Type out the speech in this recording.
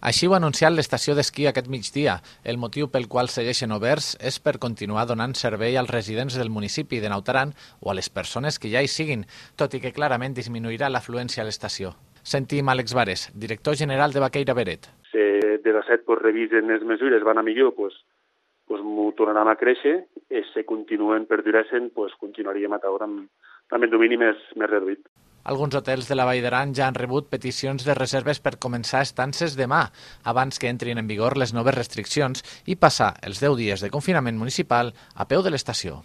Així ho ha anunciat l'estació d'esquí aquest migdia. El motiu pel qual segueixen oberts és per continuar donant servei als residents del municipi de Naut Aran o a les persones que ja hi siguin, tot i que clarament disminuirà l'afluència a l'estació. Sentim Àlex Vares, director general de Vaqueira Beret. Si de la set revisen les mesures, van a millor, m'ho tornaran a créixer, i si continuen perdurant, continuaríem a taure amb el domini més reduït. Alguns hotels de la Vall d'Aran ja han rebut peticions de reserves per començar estances demà, abans que entrin en vigor les noves restriccions i passar els 10 dies de confinament municipal a peu de l'estació.